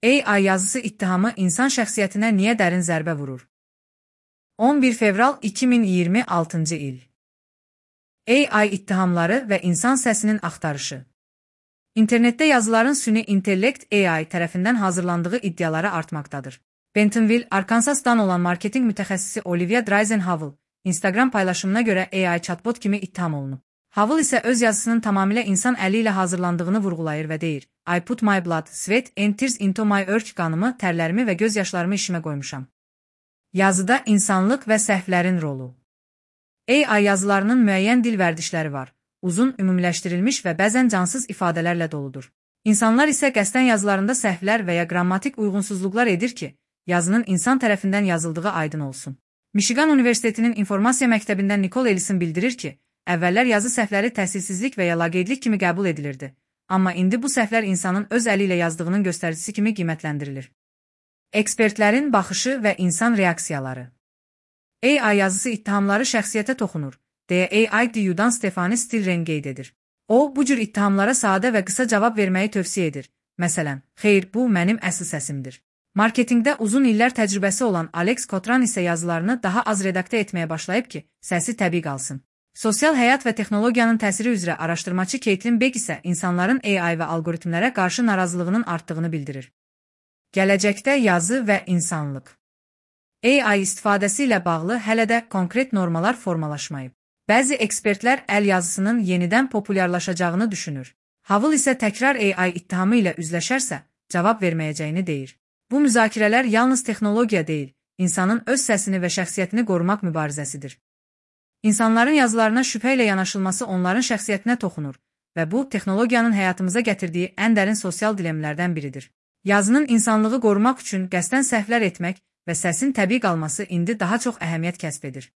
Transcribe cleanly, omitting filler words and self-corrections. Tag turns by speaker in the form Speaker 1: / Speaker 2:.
Speaker 1: AI yazısı ittihamı insan şəxsiyyətinə niyə dərin zərbə vurur? 11 fevral 2026-cı il. AI ittihamları və insan səsinin axtarışı. İnternetdə yazıların süni intellekt AI tərəfindən hazırlandığı iddiaları artmaqdadır. Bentonville, Arkansas'dan olan marketing mütəxəssisi Olivia Dreisenhavel, Instagram paylaşımına görə AI chatbot kimi ittiham olunub. Havel isə öz yazısının tamamilə insan əli ilə hazırlandığını vurğulayır və deyir: I put my blood, sweat and tears into my work, qanımı, tərlərimi və göz yaşlarımı işimə qoymuşam. Yazıda insanlıq və səhvlərin rolu. AI yazılarının müəyyən dil vərdişləri var. Uzun, ümumiləşdirilmiş və bəzən cansız ifadələrlə doludur. İnsanlar isə qəsdən yazılarında səhvlər və ya qrammatik uyğunsuzluqlar edir ki, yazının insan tərəfindən yazıldığı aydın olsun. Michigan Universitetinin informasiya məktəbindən Nicole Ellison bildirir ki, əvvəllər yazı səhvləri təhsilsizlik və ya laqeydlik kimi qəbul edilirdi. Amma indi bu səhvlər insanın öz əli ilə yazdığının göstəricisi kimi qiymətləndirilir. Ekspertlərin baxışı və insan reaksiyaları. AI yazısı ittihamları şəxsiyyətə toxunur, deyə AI-DU-dan Stefani Stilren qeyd edir. O, bu cür ittihamlara sadə və qısa cavab verməyi tövsiyə edir. Məsələn, xeyr, bu mənim əsl səsimdir. Marketingdə uzun illər təcrübəsi olan Alex Cotran isə yazılarını daha az redaktə etməyə başlayıb ki, səsi təbii qalsın. Sosial həyat və texnologiyanın təsiri üzrə araşdırmaçı Caitlin Beck isə insanların AI və algoritmlərə qarşı narazılığının artdığını bildirir. Gələcəkdə yazı və insanlıq. AI istifadəsi ilə bağlı hələ də konkret normalar formalaşmayıb. Bəzi ekspertlər əl yazısının yenidən populyarlaşacağını düşünür. Havel isə təkrar AI ittihamı ilə üzləşərsə, cavab verməyəcəyini deyir. Bu müzakirələr yalnız texnologiya deyil, insanın öz səsini və şəxsiyyətini qorumaq mübarizəsidir. İnsanların yazılarına şübhə ilə yanaşılması onların şəxsiyyətinə toxunur və bu, texnologiyanın həyatımıza gətirdiyi ən dərin sosial dilemlərdən biridir. Yazının insanlığı qorumaq üçün qəsdən səhvlər etmək və səsin təbii qalması indi daha çox əhəmiyyət kəsb edir.